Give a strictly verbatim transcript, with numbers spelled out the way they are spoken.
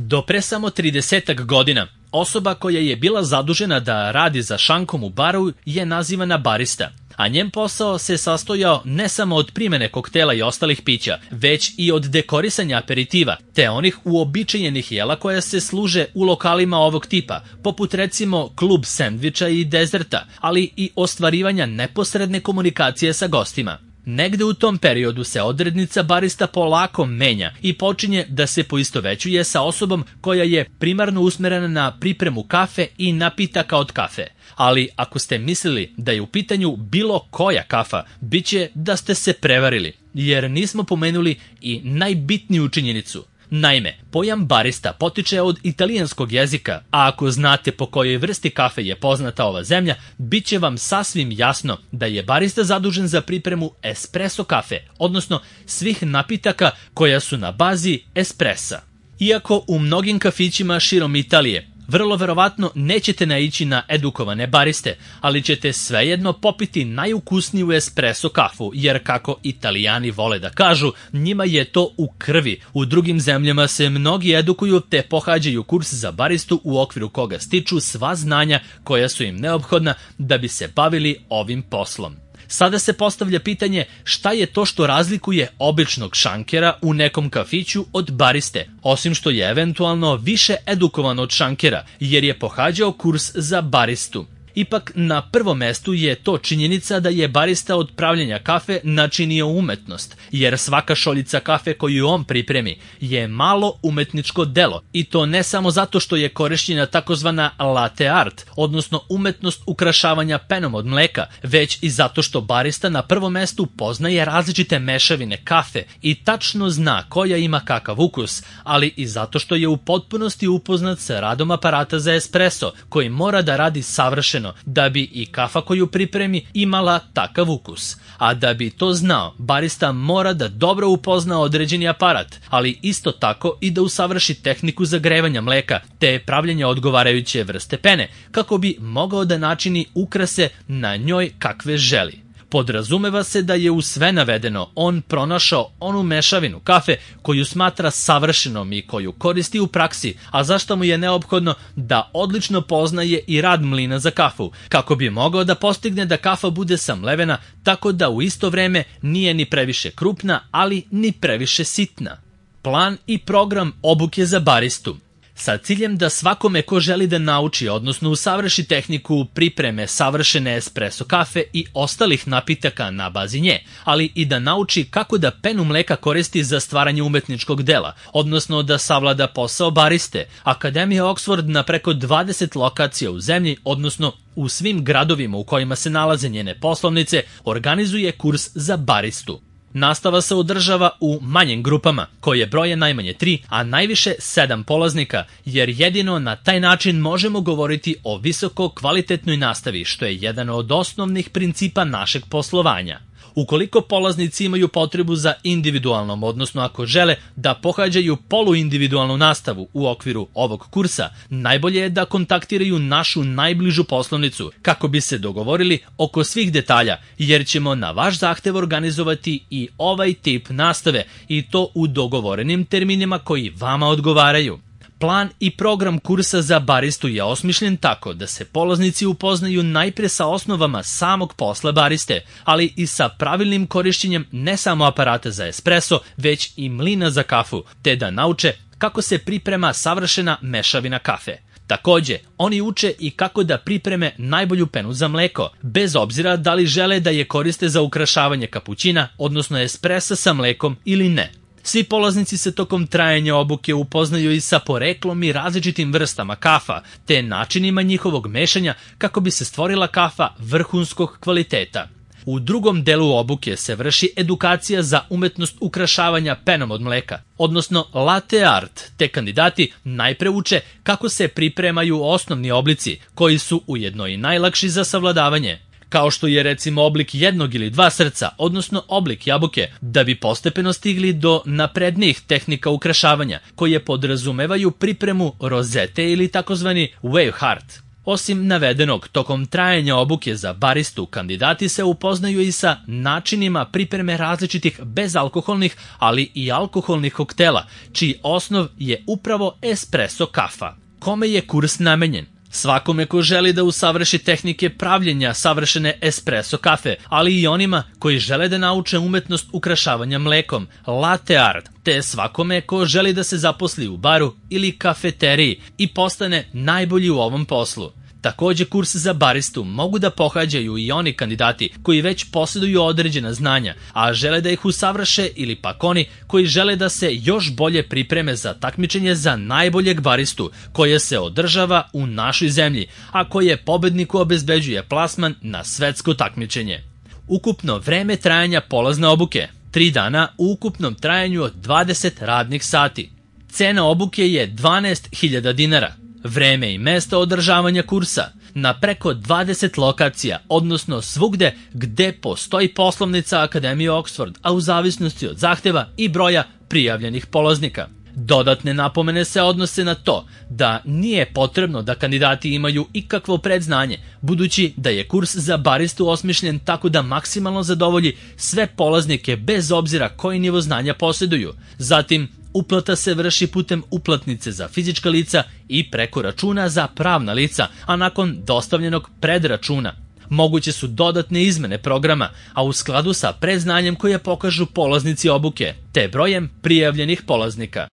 Do pre samo tridesetak godina, osoba koja je bila zadužena da radi za šankom u baru je nazivana barista, a njen posao se sastojao ne samo od primene koktela i ostalih pića, već i od dekorisanja aperitiva, te onih uobičajenih jela koja se služe u lokalima ovog tipa, poput recimo klub sendviča i dezerta, ali i ostvarivanja neposredne komunikacije sa gostima. Negde u tom periodu se odrednica barista polako menja i počinje da se poistovećuje sa osobom koja je primarno usmerena na pripremu kafe i napitaka od kafe. Ali ako ste mislili da je u pitanju bilo koja kafa, bit će da ste se prevarili, jer nismo pomenuli i najbitniju činjenicu. Naime, pojam barista potiče od italijanskog jezika, a ako znate po kojoj vrsti kafe je poznata ova zemlja, bit će vam sasvim jasno da je barista zadužen za pripremu espresso kafe, odnosno svih napitaka koja su na bazi espressa. Iako u mnogim kafićima širom Italije vrlo verovatno nećete naići na edukovane bariste, ali ćete svejedno popiti najukusniju espresso kafu, jer kako Italijani vole da kažu, njima je to u krvi. U drugim zemljama se mnogi edukuju te pohađaju kurs za baristu u okviru koga stiču sva znanja koja su im neophodna da bi se bavili ovim poslom. Sada se postavlja pitanje šta je to što razlikuje običnog šankera u nekom kafiću od bariste, osim što je eventualno više edukovan od šankera jer je pohađao kurs za baristu. Ipak na prvom mestu je to činjenica da je barista od pravljenja kafe načinio umetnost, jer svaka šoljica kafe koju on pripremi je malo umetničko delo, i to ne samo zato što je korišćena takozvana latte art, odnosno umetnost ukrašavanja penom od mleka, već i zato što barista na prvom mestu poznaje različite mešavine kafe i tačno zna koja ima kakav ukus, ali i zato što je u potpunosti upoznat sa radom aparata za espresso, koji mora da radi savršeno da bi i kafa koju pripremi imala takav ukus. A da bi to znao, barista mora da dobro upozna određeni aparat, ali isto tako i da usavrši tehniku zagrevanja mleka te pravljenja odgovarajuće vrste pene, kako bi mogao da načini ukrase na njoj kakve želi. Podrazumeva se da je u sve navedeno on pronašao onu mešavinu kafe koju smatra savršenom i koju koristi u praksi, a zašto mu je neophodno da odlično poznaje i rad mlina za kafu, kako bi mogao da postigne da kafa bude samlevena tako da u isto vreme nije ni previše krupna, ali ni previše sitna. Plan i program obuke za baristu. Sa ciljem da svakome ko želi da nauči, odnosno usavrši tehniku pripreme savršene espresso kafe i ostalih napitaka na bazi nje, ali i da nauči kako da penu mleka koristi za stvaranje umetničkog dela, odnosno da savlada posao bariste, Akademija Oxford na preko dvadeset lokacija u zemlji, odnosno u svim gradovima u kojima se nalaze njene poslovnice, organizuje kurs za baristu. Nastava se održava u manjim grupama, koje broje najmanje tri, a najviše sedam polaznika, jer jedino na taj način možemo govoriti o visoko kvalitetnoj nastavi, što je jedan od osnovnih principa našeg poslovanja. Ukoliko polaznici imaju potrebu za individualnom, odnosno ako žele da pohađaju poluindividualnu nastavu u okviru ovog kursa, najbolje je da kontaktiraju našu najbližu poslovnicu kako bi se dogovorili oko svih detalja, jer ćemo na vaš zahtev organizovati i ovaj tip nastave, i to u dogovorenim terminima koji vama odgovaraju. Plan i program kursa za baristu je osmišljen tako da se polaznici upoznaju najpre sa osnovama samog posla bariste, ali i sa pravilnim korišćenjem ne samo aparata za espresso, već i mlina za kafu, te da nauče kako se priprema savršena mešavina kafe. Takođe, oni uče i kako da pripreme najbolju penu za mleko, bez obzira da li žele da je koriste za ukrašavanje kapućina, odnosno espressa sa mlekom ili ne. Svi polaznici se tokom trajanja obuke upoznaju i sa poreklom i različitim vrstama kafa, te načinima njihovog mešanja kako bi se stvorila kafa vrhunskog kvaliteta. U drugom delu obuke se vrši edukacija za umetnost ukrašavanja penom od mleka, odnosno latte art, te kandidati najpre uče kako se pripremaju osnovni oblici, koji su ujedno i najlakši za savladavanje, kao što je recimo oblik jednog ili dva srca, odnosno oblik jabuke, da bi postepeno stigli do naprednijih tehnika ukrašavanja, koje podrazumevaju pripremu rozete ili takozvani wave heart. Osim navedenog, tokom trajanja obuke za baristu kandidati se upoznaju i sa načinima pripreme različitih bezalkoholnih, ali i alkoholnih koktela, čiji osnov je upravo espresso kafa. Kome je kurs namenjen? Svakome ko želi da usavrši tehnike pravljenja savršene espresso kafe, ali i onima koji žele da nauče umetnost ukrašavanja mlekom, latte art, te svakome ko želi da se zaposli u baru ili kafeteriji i postane najbolji u ovom poslu. Takođe, kurs za baristu mogu da pohađaju i oni kandidati koji već posjeduju određena znanja, a žele da ih usavrše, ili pak oni koji žele da se još bolje pripreme za takmičenje za najboljeg baristu koje se održava u našoj zemlji, a koje pobedniku obezbeđuje plasman na svetsko takmičenje. Ukupno vreme trajanja polazne obuke tri dana u ukupnom trajanju od dvadeset radnih sati. Cena obuke je dvanaest hiljada dinara. Vreme i mesto održavanja kursa na preko dvadeset lokacija, odnosno svugde gde postoji poslovnica Akademije Oxford, a u zavisnosti od zahteva i broja prijavljenih polaznika. Dodatne napomene se odnose na to da nije potrebno da kandidati imaju ikakvo predznanje, budući da je kurs za baristu osmišljen tako da maksimalno zadovolji sve polaznike bez obzira koji nivo znanja posjeduju. Zatim, uplata se vrši putem uplatnice za fizička lica i preko računa za pravna lica, a nakon dostavljenog predračuna. Moguće su dodatne izmene programa, a u skladu sa predznanjem koje pokažu polaznici obuke, te brojem prijavljenih polaznika.